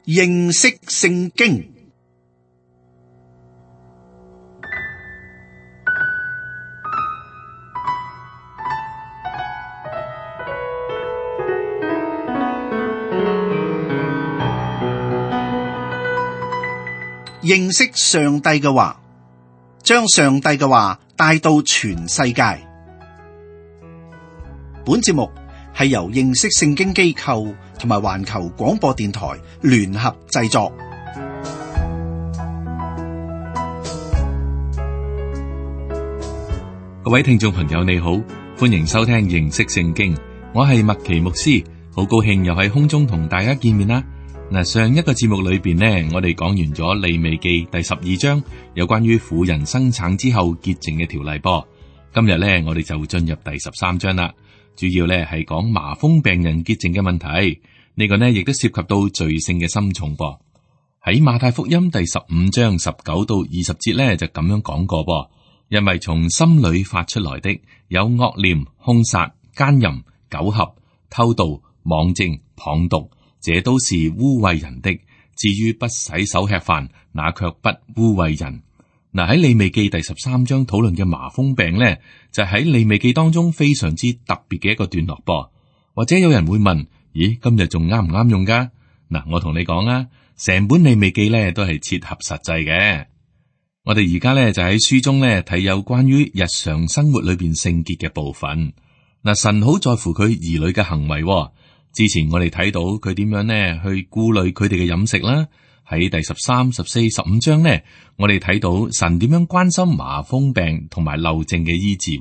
認識聖經。認識上帝嘅話，將上帝嘅話帶到全世界。本節目係由認識聖經機構同埋環球廣播電台聯合製作。各位聽眾朋友你好，歡迎收聽認識聖經，我係麥奇牧師，好高興又喺空中同大家見面啦。嗱，上一個節目裏邊呢，我哋講完咗利未記第12章有關於婦人生產之後潔淨嘅條例噃。今日呢，我哋就進入第13章啦，主要呢係講麻風病人潔淨嘅問題。呢個呢亦都涉及到罪性嘅深重噃。喺馬太福音第15章19到20節呢，就咁樣講過噃。因為從心裏發出來的有惡念、兇殺、奸淫、苟合、偷盜、妄證、謗讟，這都是污穢人的。至於不洗手吃飯，那卻不污穢人。嗱，喺利未記第13章討論嘅麻風病呢，就喺利未記當中非常之特別嘅一個段落噃。或者有人會問：咦，今日仲啱唔啱用噶？嗱，我同你講啊，成本利未記呢都係切合實際嘅。我哋而家呢就喺書中呢睇有關於日常生活裏邊聖潔嘅部分。嗱，神好在乎佢兒女嘅行為。之前我哋睇到佢點樣呢去顧慮佢哋嘅飲食啦。喺第13、14、15章呢，我哋睇到神點樣關心麻風病同埋漏症嘅醫治。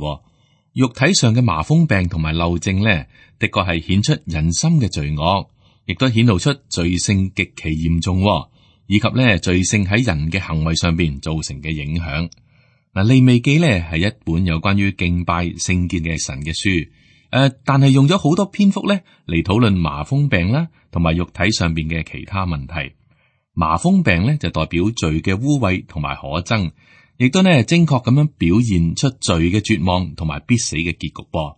肉體上嘅麻風病同埋漏症呢，的確係顯出人心嘅罪惡，亦都顯露出罪性極其嚴重，以及呢罪性喺人嘅行為上邊造成嘅影響。嗱，利未記呢係一本有關於敬拜聖潔嘅神嘅書。但係用咗好多篇幅咧嚟討論麻風病啦，同埋肉體上邊嘅其他問題。麻風病咧就代表罪嘅污穢同埋可憎，亦都呢精確咁樣表現出罪嘅絕望同埋必死嘅結局噃。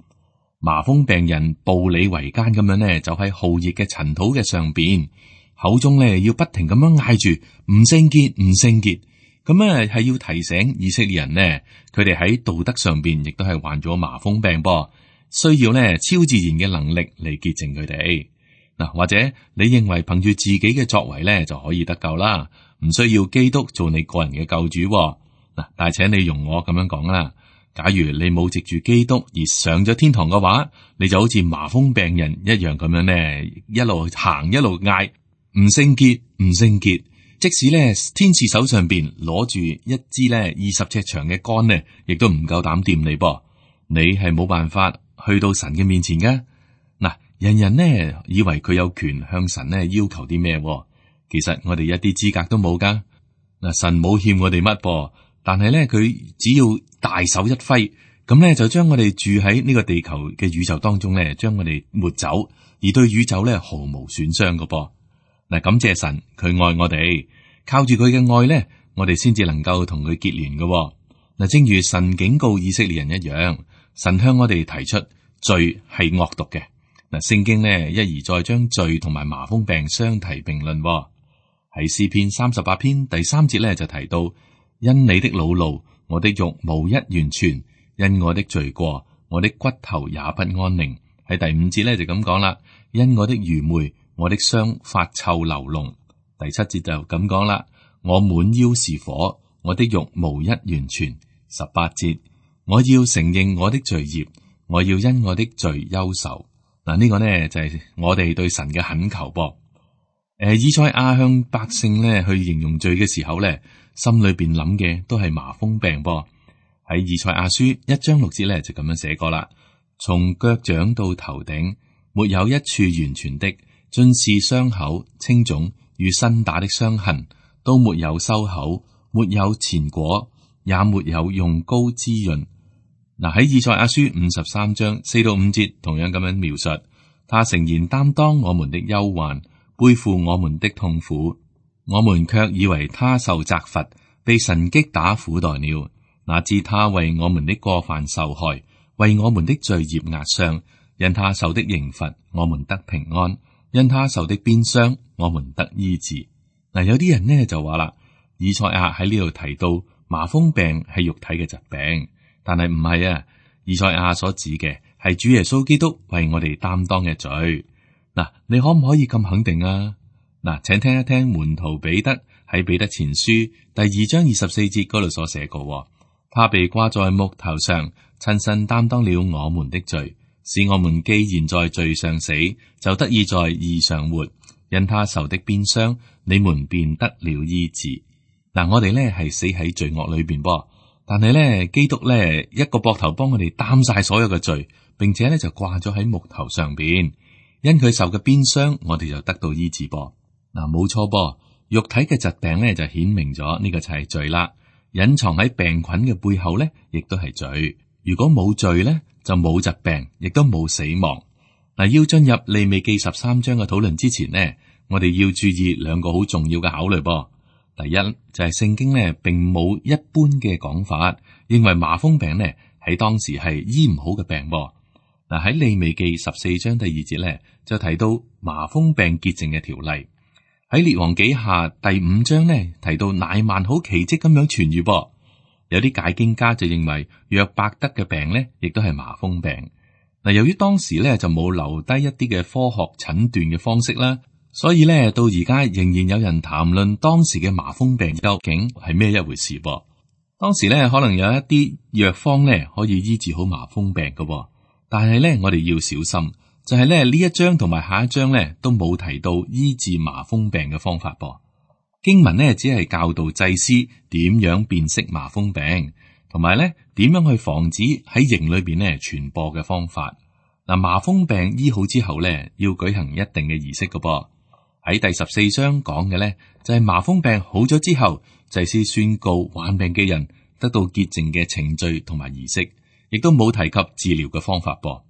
麻風病人步履維艱咁樣呢，就喺酷熱嘅塵土嘅上邊，口中呢要不停咁樣嗌住唔聖潔，唔聖潔。咁咧係要提醒以色列人呢，佢哋喺道德上邊亦都係患咗麻風病噃。需要呢超自然嘅能力嚟潔淨佢哋。嗱，或者你認為憑住自己嘅作為呢就可以得救啦，唔需要基督做你個人嘅救主。嗱，但係請你容我咁樣講啦，假如你冇藉住基督而上咗天堂嘅話，你就好似麻風病人一樣咁樣呢，一路行一路嗌唔聖潔，唔聖潔。即使呢天使手上邊攞住一支呢20尺長嘅竿呢，亦都唔夠膽掂你噃。你係冇辦法去到神嘅面前噶。嗱，人人呢以為佢有權向神呢要求啲咩，其實我哋一啲資格都冇噶。嗱，神冇欠我哋乜噃，但係呢佢只要大手一揮，咁呢就將我哋住喺呢個地球嘅宇宙當中呢，將我哋抹走，而對宇宙呢毫無損傷噶噃。嗱，感謝神，佢愛我哋，靠住佢嘅愛呢，我哋先至能夠同佢結連噶。嗱，正如神警告以色列人一樣。神向我哋提出罪係惡毒嘅。嗱，聖經呢一而再將罪同埋麻風病相提並論。喺詩篇38篇第3節呢就提到：因你的惱怒，我的肉無一完全；因我的罪過，我的骨頭也不安寧。喺第5節呢就咁講啦：因我的愚昧，我的傷發臭流膿。第7節就咁講啦：我滿腰是火，我的肉無一完全。18節。我要承認我的罪孽，我要因我的罪憂愁。嗱，呢個呢就係我哋對神嘅懇求噃。以賽亞向百姓呢去形容罪嘅時候呢，心裏邊諗嘅都係麻風病噃。喺以賽亞書1章6節呢就咁樣寫過啦：從腳掌到頭頂，沒有一處完全的，盡是傷口、青腫與新打的傷痕，都沒有收口，沒有前果，也沒有用膏滋潤。嗱，喺以賽亞書53章4到5節同樣咁樣描述，他誠然擔當我們的憂患，背負我們的痛苦，我們卻以為他受責罰，被神擊打苦待了。哪知他為我們的過犯受害，為我們的罪孽壓傷。因他受的刑罰，我們得平安；因他受的鞭傷，我們得醫治。嗱，有啲人呢就話啦，以賽亞喺呢度提到麻風病係肉體嘅疾病，但係唔係啊。以賽亞所指嘅係主耶穌基督為我哋擔當嘅罪。嗱，你可唔可以咁肯定啊？嗱，請聽一聽門徒彼得喺彼得前書第2章24節嗰度所寫過，他被掛在木頭上，親身擔當了我們的罪，使我們既然在罪上死，就得以在義上活。因他受的鞭傷，你們便得了醫治。嗱，我哋咧係死喺罪惡裏邊噃，但係咧基督咧一個膊頭幫我哋擔晒所有嘅罪，並且咧就掛咗喺木頭上邊。因佢受嘅鞭傷，我哋就得到醫治噃。嗱，冇錯噃，肉體嘅疾病咧就顯明咗呢個就係罪啦。隱藏喺病菌嘅背後咧，亦都係罪。如果冇罪咧，就冇疾病，亦都冇死亡。嗱，要進入利未記13章嘅討論之前呢，我哋要注意兩個好重要嘅考慮噃。第一就係聖經呢並冇一般嘅講法，認為麻風病呢喺當時係醫唔好嘅病噃。嗱，喺利未記14章第2節咧就提到麻風病潔淨嘅條例。喺列王紀下第5章呢提到乃縵好奇蹟咁樣痊愈噃。有啲解經家就認為約伯德嘅病呢亦都係麻風病。嗱，由於當時咧就冇留低一啲嘅科學診斷嘅方式啦，所以咧到而家仍然有人談論當時嘅麻風病究竟係咩一回事噃。當時咧可能有一啲藥方咧可以醫治好麻風病嘅，但係咧我哋要小心，就係咧呢一章同埋下一章咧都冇提到醫治麻風病嘅方法噃。經文呢只係教導祭司點樣辨識麻風病，同埋咧點樣去防止喺營裏邊咧傳播嘅方法。嗱，麻風病醫好之後咧，要舉行一定嘅儀式㗎噃。喺第14章講嘅咧，就係麻風病好咗之後，祭司宣告患病嘅人得到潔淨嘅程序同埋儀式，亦都冇提及治療嘅方法噃。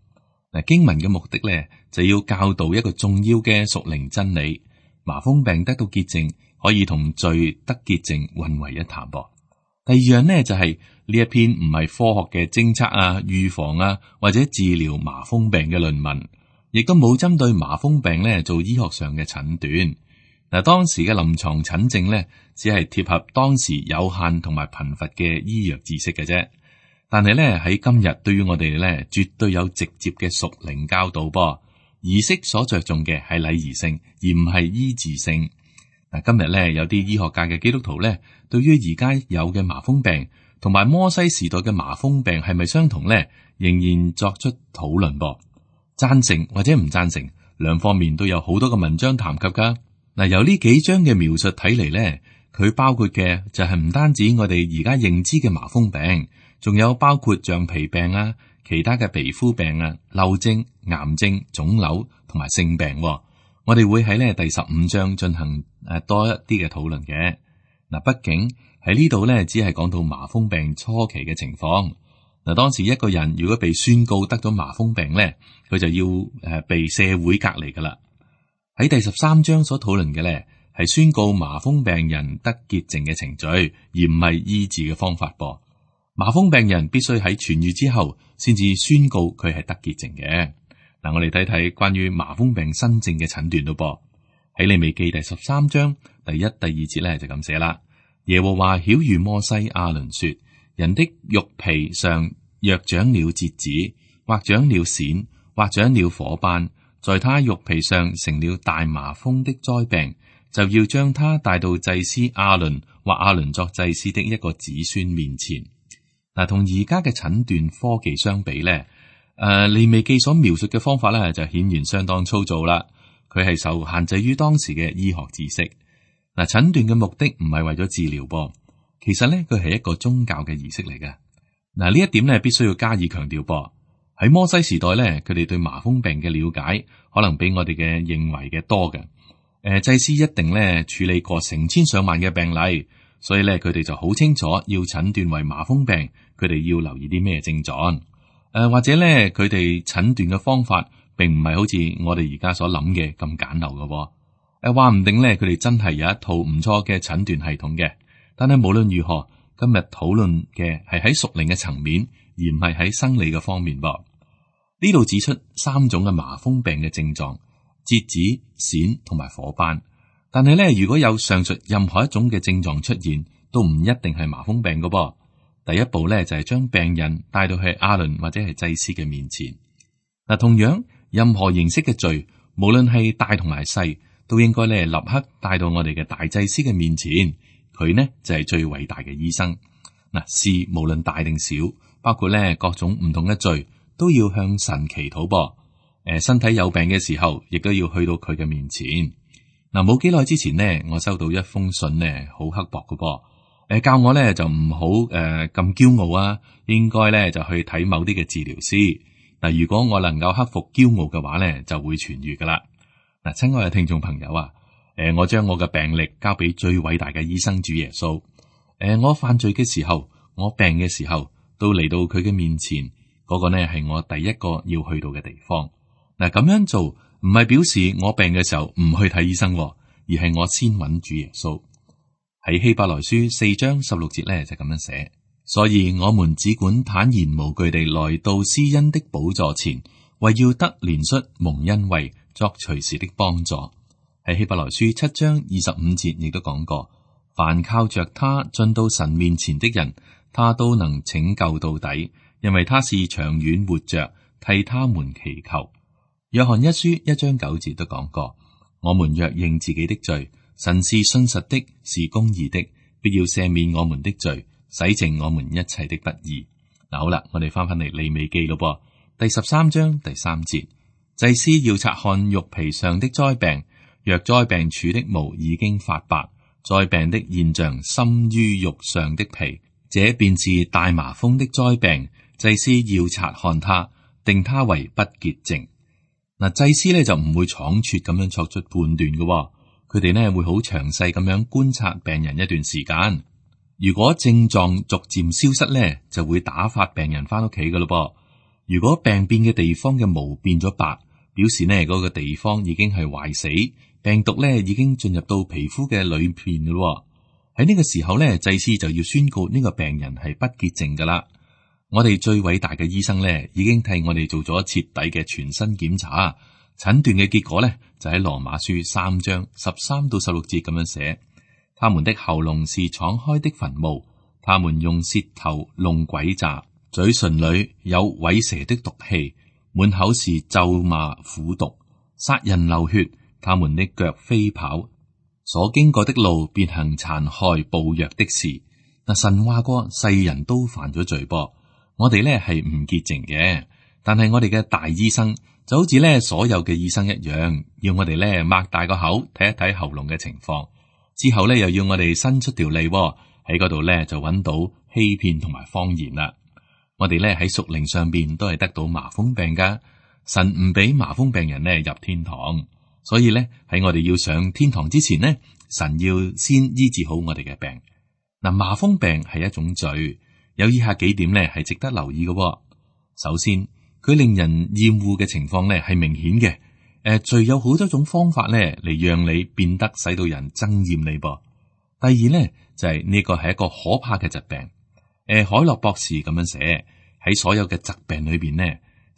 嗱，經文嘅目的咧，就要教導一個重要嘅屬靈真理：麻風病得到潔淨，可以同罪得潔淨混為一談噃。第二樣呢，就係呢一篇唔係科學嘅偵測啊、預防啊或者治療麻風病嘅論文，亦都冇針對麻風病呢做醫學上嘅診斷。嗱，當時嘅臨床診症呢，只係貼合當時有限同埋貧乏嘅醫藥知識嘅啫。但係呢，喺今日對於我哋呢，絕對有直接嘅屬靈教導噃。儀式所着重嘅係禮儀性，而唔係醫治性。今日咧有啲醫學界嘅基督徒咧，對於而家有嘅麻風病同埋摩西時代嘅麻風病係咪相同咧，仍然作出討論噃。贊成或者唔贊成，兩方面都有好多嘅文章談及噶。嗱，由呢幾章嘅描述睇嚟咧，佢包括嘅就係唔單止我哋而家認知嘅麻風病，仲有包括橡皮病啊、其他嘅皮膚病啊、漏症、癌症、腫瘤同埋性病。我哋會喺呢第15章進行多一啲嘅討論嘅。嗱，畢竟喺呢度呢，只係講到麻風病初期嘅情況。嗱，當時一個人如果被宣告得咗麻風病呢，佢就要被社會隔離噶啦。喺第13章所討論嘅呢，係宣告麻風病人得潔淨嘅程序，而唔係醫治嘅方法噃。麻風病人必須喺痊愈之後，先至宣告佢係得潔淨嘅。嗱，我哋睇睇關於麻風病新症嘅診斷咯噃。喺利未記第13章第1、第2節咧就咁寫啦。耶和華曉諭摩西亞倫說：人的肉皮上若長了痔子，或長了癬，或長了火斑，在他肉皮上成了大麻風的災病，就要將他帶到祭司亞倫或亞倫作祭司的一個子孫面前。嗱，同而家嘅診斷科技相比咧。利未記所描述嘅方法咧，就顯然相當粗糙啦。佢係受限制於當時嘅醫學知識。嗱，診斷嘅目的唔係為咗治療噃，其實咧佢係一個宗教嘅儀式嚟嘅。嗱，呢一點咧必須要加以強調噃。喺摩西時代咧，佢哋對麻風病嘅了解可能比我哋嘅認為嘅多嘅。祭司一定咧處理過成千上萬嘅病例，所以咧佢哋就好清楚要診斷為麻風病，佢哋要留意啲咩症狀。或者咧，佢哋診斷嘅方法並唔係好似我哋而家所諗嘅咁簡陋嘅。話唔定咧，佢哋真係有一套唔錯嘅診斷系統嘅。但係無論如何，今日討論嘅係喺屬靈嘅層面，而唔係喺生理嘅方面噃。呢度指出3種嘅麻風病嘅症狀，折子、癬同埋火斑。但係咧，如果有上述任何一種嘅症狀出現，都唔一定係麻風病噶噃。第一步咧就係將病人帶到去亞倫或者係祭司嘅面前。嗱，同樣任何形式嘅罪，無論係大同埋細，都應該咧立刻帶到我哋嘅大祭司嘅面前。佢呢就係最偉大嘅醫生。嗱，事無論大定小，包括咧各種唔同嘅罪，都要向神祈禱噃。身體有病嘅時候，亦都要去到佢嘅面前。嗱，冇幾耐之前呢，我收到一封信呢，好刻薄嘅噃。教我咧就唔好咁驕傲啊，應該咧就去睇某啲嘅治療師。嗱，如果我能夠克服驕傲嘅話咧，就會痊愈噶啦。嗱，親愛嘅聽眾朋友啊，我將我嘅病歷交俾最偉大嘅醫生主耶穌。我犯罪嘅時候，我病嘅時候，都嚟到佢嘅面前，嗰個呢係我第一個要去到嘅地方。嗱，咁樣做唔係表示我病嘅時候唔去睇醫生，而係我先揾主耶穌。喺希伯來書4章16節咧就咁樣寫，所以我們只管坦然無懼地來到施恩的寶座前，為要得憐恤蒙恩惠，作隨時的幫助。喺希伯來書7章25節亦都講過，凡靠着他進到神面前的人，他都能拯救到底，因為他是長遠活着，替他們祈求。約翰一書1章9節都講過，我們若認自己的罪，神是信實的，是公義的，必要赦免我們的罪，洗淨我們一切的不義。嗱，好啦，我哋翻嚟利未記咯噃，第13章第3節，祭司要察看肉皮上的災病，若災病處的毛已經發白，災病的現象深於肉上的皮，這便是大麻風的災病。祭司要察看他，定他為不潔淨。嗱，祭司咧就唔會倉促咁樣作出判斷嘅，佢哋呢會好詳細咁樣觀察病人一段時間。如果症狀逐漸消失咧，就會打發病人翻屋企嘅咯噃。如果病變嘅地方嘅毛變咗白，表示呢嗰個地方已經係壞死，病毒咧已經進入到皮膚嘅裏邊嘅咯。喺呢個時候咧，祭司就要宣告呢個病人係不潔淨噶啦。我哋最偉大嘅醫生咧，已經替我哋做咗徹底嘅全身檢查，診斷嘅結果咧就喺羅馬書3章13到16節咁樣寫：他們的喉嚨是敞開的墳墓，他們用舌頭弄詭詐，嘴唇裏有虺蛇的毒氣，滿口是咒罵苦毒，殺人流血，他們的腳飛跑，所經過的路便行殘害暴虐的事。嗱，神話過世人都犯咗罪噃。我哋咧係唔潔淨嘅，但係我哋嘅大醫生就好似咧所有嘅醫生一樣，要我哋咧擘大個口睇一睇喉嚨嘅情況，之後咧又要我哋伸出條脷喺嗰度咧就揾到欺騙同埋謊言啦。我哋咧喺屬靈上邊都係得到麻風病噶，神唔俾麻風病人咧入天堂，所以咧喺我哋要上天堂之前呢，神要先醫治好我哋嘅病。嗱，麻風病係一種罪。有以下幾點咧係值得留意嘅。首先，佢令人厭惡嘅情況咧係明顯嘅。罪有好多種方法咧嚟讓你變得使到人憎厭你噃。第二咧就係呢個係一個可怕嘅疾病。海洛博士咁樣寫，喺所有嘅疾病裏邊呢，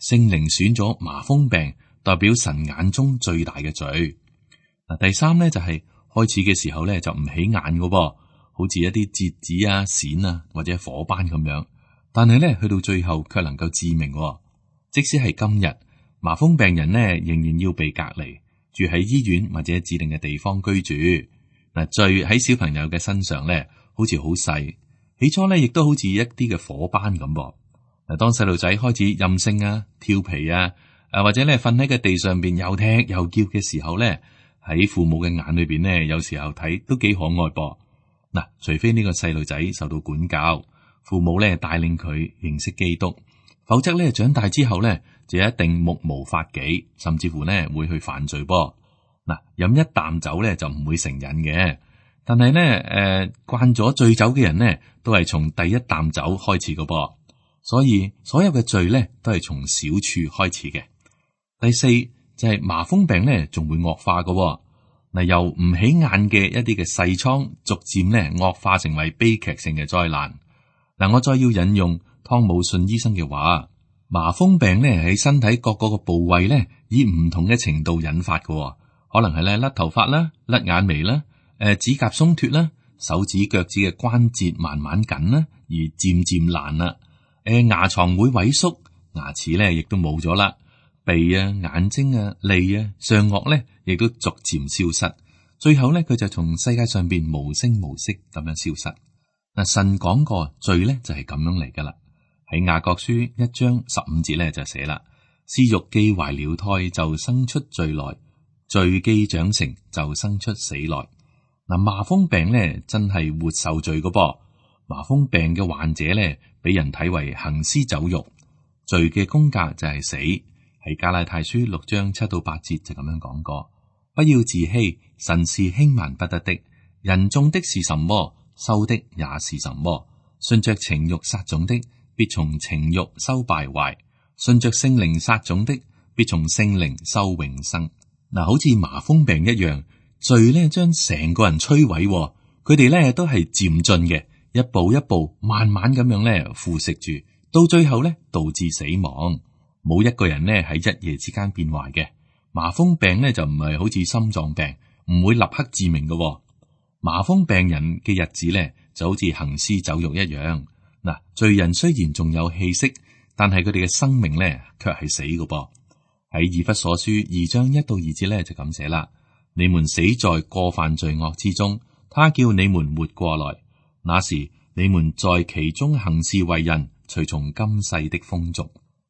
聖靈選咗麻風病代表神眼中最大嘅罪。嗱，第三咧就係開始嘅時候咧就唔起眼嘅。好似一啲折子啊、癬啊或者火斑咁樣，但係咧去到最後卻能夠致命。即使係今日，麻風病人呢仍然要被隔離，住喺醫院或者指定嘅地方居住。嗱，罪喺小朋友嘅身上咧，好似好細，起初咧亦都好似一啲嘅火斑咁。嗱，當細路仔開始任性啊、調皮啊，或者咧瞓喺個地上邊又踢又叫嘅時候咧，喺父母嘅眼裏邊呢，有時候睇都幾可愛噃。嗱，除非呢個細路仔受到管教，父母咧帶領佢認識基督，否則咧長大之後咧就一定目無法紀，甚至乎咧會去犯罪噃。嗱，飲一啖酒咧就唔會成癮嘅，但係咧慣咗醉酒嘅人呢，都係從第一啖酒開始嘅噃。所以所有嘅罪咧都係從小處開始嘅。第四就係麻風病咧仲會惡化嘅。嗱，由唔起眼嘅一啲嘅細瘡，逐漸咧惡化成為悲劇性嘅災難。嗱，我再要引用湯姆遜醫生嘅話，麻風病咧喺身體各個部位咧，以唔同嘅程度引發嘅，可能係咧甩頭髮啦、甩眼眉啦、指甲鬆脱啦、手指腳趾嘅關節慢慢緊啦，而漸漸爛啦。牙床會萎縮，牙齒咧亦都冇咗啦，鼻啊、眼睛啊、脷啊、上顎咧亦都逐漸消失，最後咧佢就從世界上邊無聲無息咁樣消失。嗱，神講過罪咧就係咁樣嚟噶啦。喺雅各書1章15節咧就寫啦，私欲既懷了胎就生出罪來，罪既長成就生出死來。嗱，麻風病咧真係活受罪噶噃。麻風病嘅患者咧俾人睇為行屍走肉，罪嘅工價就係死。喺加拉太書6章7到8節就咁樣講過，不要自欺，神是輕慢不得的。人種的是什麼，收的也是什麼。順着情欲撒種的，必從情欲收敗壞；順着聖靈撒種的，必從聖靈收永生。嗱，好似麻風病一樣，罪咧將成個人摧毀，佢哋咧都係漸進嘅，一步一步慢慢咁樣咧腐蝕住，到最後咧導致死亡。冇一個人咧喺一夜之間變壞嘅。麻風病咧就唔係好似心臟病，唔會立刻致命嘅。麻風病人嘅日子咧就好似行屍走肉一樣。嗱，罪人雖然仲有氣息，但係佢哋嘅生命咧卻係死嘅噃。喺以弗所書2章1到2節咧就咁寫啦：你們死在過犯罪惡之中，他叫你們活過來。那時你們在其中行事為人，隨從今世的風俗。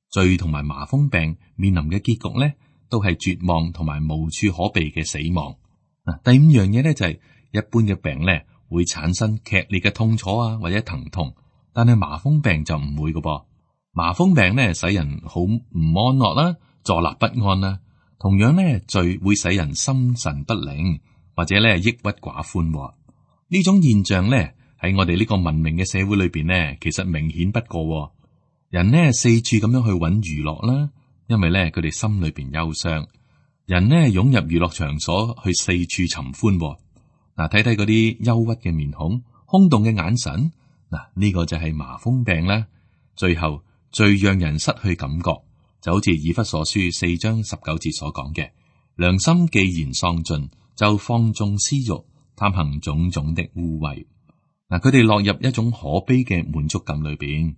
罪同埋麻風病面臨嘅結局咧，都係絕望同埋無處可避嘅死亡。嗱，第5樣嘢咧就係一般嘅病咧會產生劇烈嘅痛楚啊或者疼痛，但係麻風病就唔會嘅噃。麻風病咧使人好唔安樂啦，坐立不安啦。同樣咧，罪會使人心神不寧，或者咧抑鬱寡歡。呢種現象咧喺我哋呢個文明嘅社會裏邊咧，其實明顯不過。人呢四處咁樣去揾娛樂啦，因為咧佢哋心裏邊憂傷。人呢湧入娛樂場所去四處尋歡。嗱，睇睇嗰啲憂鬱嘅面孔、空洞嘅眼神，嗱，呢個就係麻風病啦。最後最讓人失去感覺，就好似以弗所書4章19節所講嘅，良心既然喪盡，就放縱私欲，貪行種種的污穢。嗱，佢哋落入一種可悲嘅滿足感裏邊。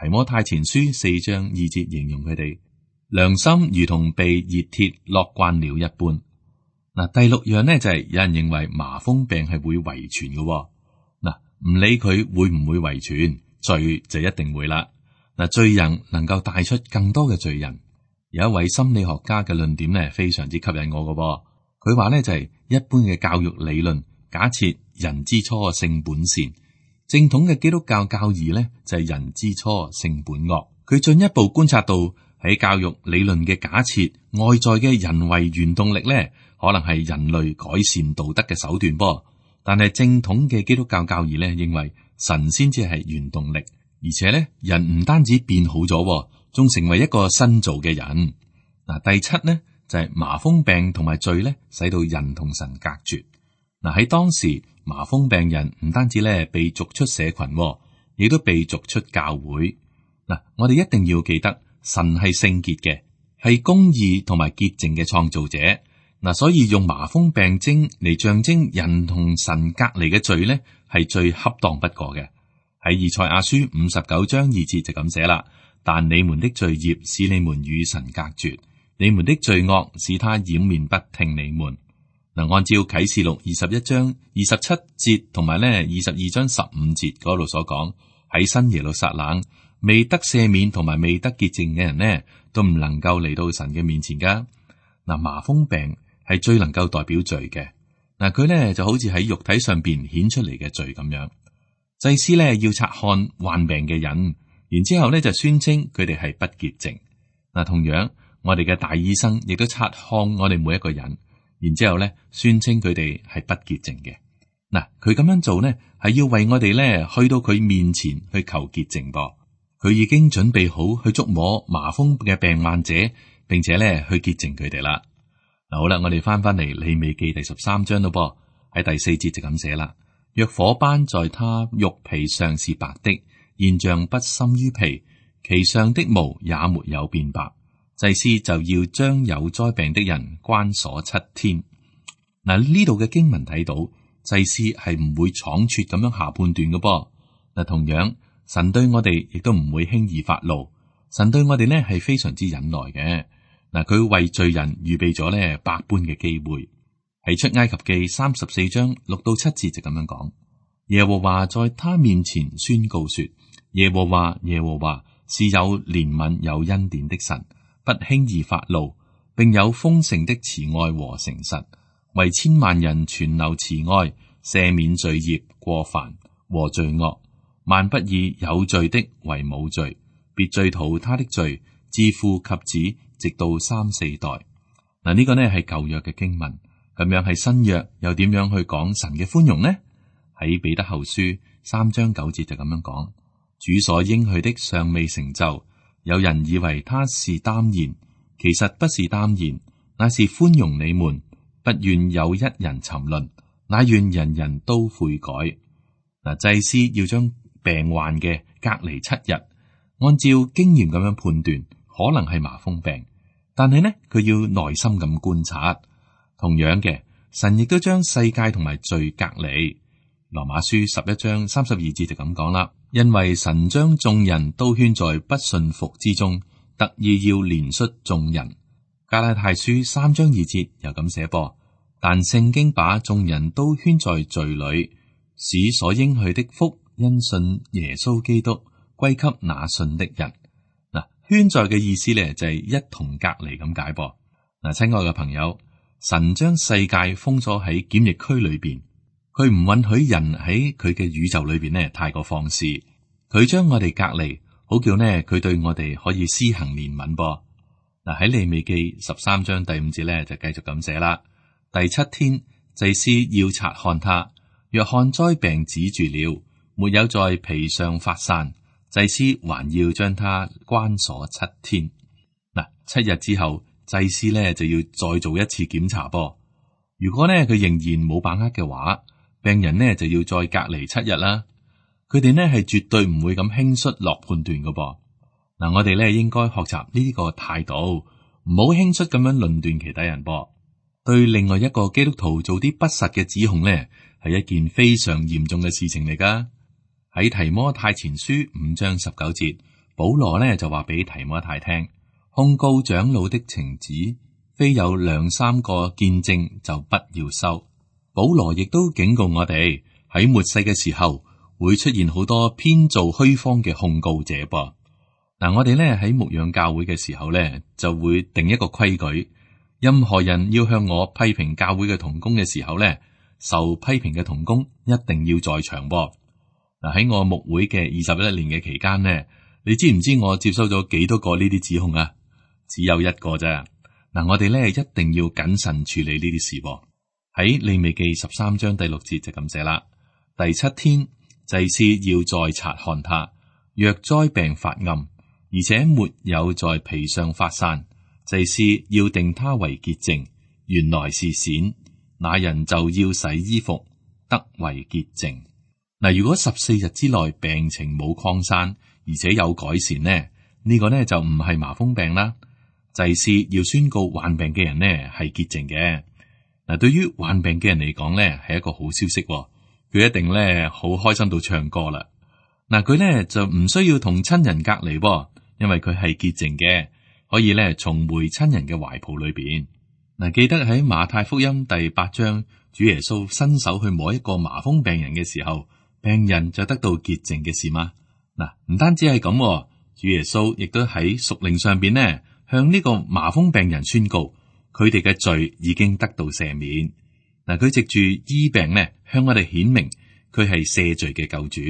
提摩太前書4章2節形容佢哋良心如同被熱鐵烙慣了一般。嗱，第6樣呢，就係有人認為麻風病係會遺傳嘅。嗱，唔理佢會唔會遺傳，罪就一定會啦。嗱，罪人能夠帶出更多嘅罪人。有一位心理學家嘅論點呢，非常之吸引我嘅。佢話呢，就係一般嘅教育理論假設人之初性本善。正統嘅基督教教義咧就係人之初性本惡。佢進一步觀察到喺教育理論嘅假設，外在嘅人為原動力咧，可能係人類改善道德嘅手段噃。但係正統嘅基督教教義咧認為神先至係原動力，而且咧人唔單止變好咗，仲成為一個新造嘅人。嗱，第7呢，就係麻風病同埋罪咧，使到人同神隔絕。嗱，喺當時，麻風病人唔單止咧被逐出社群，亦都被逐出教會。嗱，我哋一定要記得，神係聖潔嘅，係公義同埋潔淨嘅創造者。嗱，所以用麻風病徵嚟象徵人同神隔離嘅罪咧，係最恰當不過嘅。喺以賽亞書59章2節就咁寫啦：但你們的罪孽使你們與神隔絕，你們的罪惡使他掩面不聽你們。嗱，按照啟示錄21章27節同埋咧22章15節嗰度所講，喺新耶路撒冷未得赦免同埋未得潔淨嘅人呢，都唔能夠嚟到神嘅面前噶。嗱，麻風病係最能夠代表罪嘅。嗱，佢咧就好似喺肉體上邊顯出嚟嘅罪咁樣。祭司咧要察看患病嘅人，然之後咧就宣稱佢哋係不潔淨。嗱，同樣我哋嘅大醫生亦都察看我哋每一個人。然之後咧，宣稱佢哋係不潔淨嘅。嗱，佢咁樣做呢，係要為我哋咧去到佢面前去求潔淨噃。佢已經準備好去觸摸麻風嘅病患者，並且咧去潔淨佢哋啦。嗱，好啦，我哋翻嚟利未記第13章咯噃，喺第4節就咁寫啦：若火斑在他肉皮上是白的，現象不深於皮，其上的毛也沒有變白。祭司就要將有災病的人關鎖7天。嗱，呢度嘅經文睇到，祭司係唔會倉促咁樣下判斷嘅噃。嗱，同樣神對我哋亦都唔會輕易發怒，神對我哋呢係非常之忍耐嘅。嗱，佢為罪人預備咗呢百般嘅機會。喺出埃及記34章6到7節就咁樣講：耶和華在他面前宣告說，耶和華耶和華是有憐憫有恩典的神，不輕易發怒，並有豐盛的慈愛和誠實，為千萬人存留慈愛，赦免罪孽過犯和罪惡，萬不以有罪的為無罪，別追討他的罪，自父及子，直到3、4代。嗱，呢個呢係舊約嘅經文，咁樣係新約又點樣去講神嘅寬容呢？喺彼得後書3章9節就咁樣講：主所應許的尚未成就，有人以為他是耽延，其實不是耽延，乃是寬容你們，不願有一人沉淪，乃願人人都悔改。嗱，祭司要將病患嘅隔離7日，按照經驗咁樣判斷，可能係麻風病，但係呢，佢要耐心咁觀察。同樣嘅，神亦都將世界同埋罪隔離。羅馬書11章32節就咁講啦，因為神將眾人都圈在不信服之中，特意要憐恤眾人。加拉太書3章2節又咁寫噃，但聖經把眾人都圈在罪裏，使所應許的福因信耶穌基督歸給那信的人。嗱，圈在嘅意思咧就係一同隔離咁解噃。嗱，親愛嘅朋友，神將世界封鎖喺檢疫區裏邊。佢唔允許人喺佢嘅宇宙裏邊呢太過放肆，佢將我哋隔離，好叫呢佢對我哋可以施行憐憫噃。嗱，喺利未記13章第5節咧就繼續咁寫啦。第7天，祭司要察看他，若看災病止住了，沒有在皮上發散，祭司還要將他關鎖7天。嗱，7日之後，祭司呢就要再做一次檢查噃。如果呢佢仍然冇把握嘅話，病人呢就要再隔離7日啦。佢哋呢係絕對唔會咁輕率落判斷噶噃。嗱，我哋呢應該學習呢個態度，唔好輕率咁樣論斷其他人噃。對另外一個基督徒做啲不實嘅指控呢，係一件非常嚴重嘅事情嚟噶。喺提摩太前書5章19節，保羅呢就話俾提摩太聽，控告長老的情子，非有2、3個見證就不要收。保羅亦都警告我哋，喺末世嘅時候會出現好多編造虛謊嘅控告者噃。嗱，我哋咧喺牧養教會嘅時候咧，就會定一個規矩，任何人要向我批評教會嘅同工嘅時候咧，受批評嘅同工一定要在場噃。嗱，喺我牧會嘅21年嘅期間呢，你知唔知我接收咗幾多個呢啲指控啊？只有一個啫。嗱，我哋咧一定要謹慎處理呢啲事噃。喺利未記13章第6節就咁寫啦。第7天，祭司要再察看他，若災病發暗，而且沒有在皮上發散，祭司要定他為潔淨，原來是癬，那人就要洗衣服，得為潔淨。嗱，如果14日之內病情冇擴散，而且有改善呢，呢個呢就唔係麻風病啦。祭司要宣告患病嘅人呢係潔淨嘅。嗱，對於患病嘅人嚟講咧，係一個好消息，佢一定咧好開心到唱歌啦。嗱，佢咧就唔需要同親人隔離，因為佢係潔淨嘅，可以咧重回親人嘅懷抱裏邊。嗱，記得喺馬太福音第8章，主耶穌伸手去摸一個麻風病人嘅時候，病人就得到潔淨嘅事嗎？嗱，唔單止係咁，主耶穌亦都喺屬靈上邊呢，向呢個麻風病人宣告，佢哋嘅罪已經得到赦免。嗱，佢藉住醫病呢，向我哋顯明佢係赦罪嘅救主。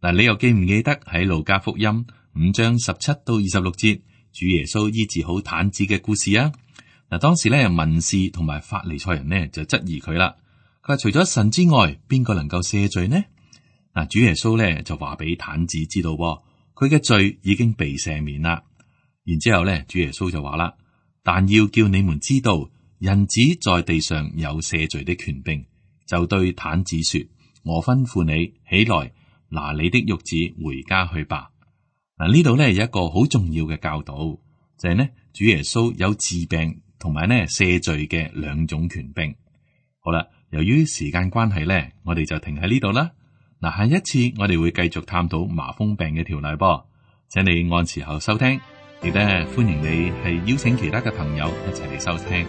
嗱，你又記唔記得喺路加福音5章17到26節，主耶穌醫治好癱子嘅故事啊？嗱，當時咧文士同埋法利賽人呢就質疑佢啦。佢話除咗神之外，邊個能夠赦罪呢？嗱，主耶穌咧就話俾癱子知道，佢嘅罪已經被赦免啦。然之後咧，主耶穌就話啦，但要叫你們知道，人子在地上有赦罪的權柄，就對癱子說：我吩咐你起來，拿你的褥子回家去吧。嗱，呢度咧有一個好重要嘅教導，就係呢主耶穌有治病同埋呢赦罪嘅兩種權柄。好啦，由於時間關係咧，我哋就停喺呢度啦。嗱，下一次我哋會繼續探討麻風病嘅條例噃，請你按時候收聽，亦都歡迎你係邀請其他嘅朋友一齊嚟收聽。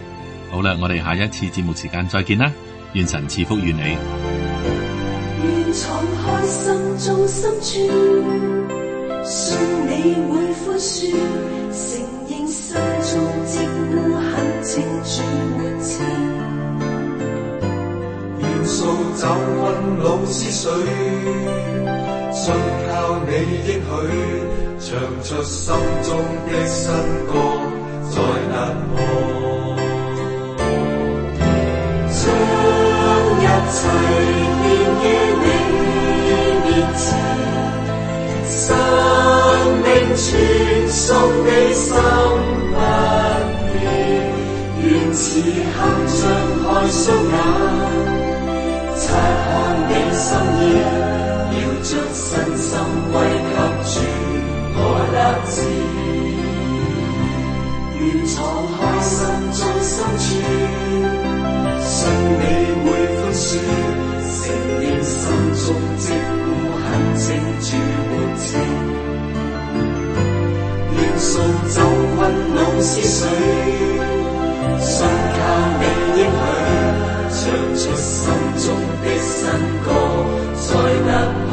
好啦，我哋下一次節目時間再見啦，願神賜福於你。願敞開心中深處，信你會寬恕，承認心中積污很清主沒情。願掃走困惱思緒，信靠你應許，唱出心中的新歌，再難忘。將一切獻於你面前，生命傳送你心不變，願此刻張開雙眼，察看你心意，要將身心歸給主我立志。願敞開心中深處，信你會寬恕，承認心中積污痕清主沒情。願掃走困惱思緒，信靠你應許，唱出心中的新歌，再突破。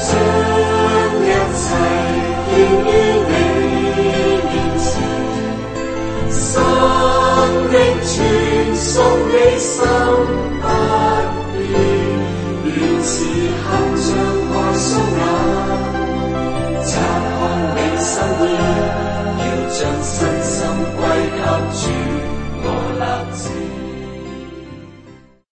將一切獻於你面前，生命傳送你心不變，願此刻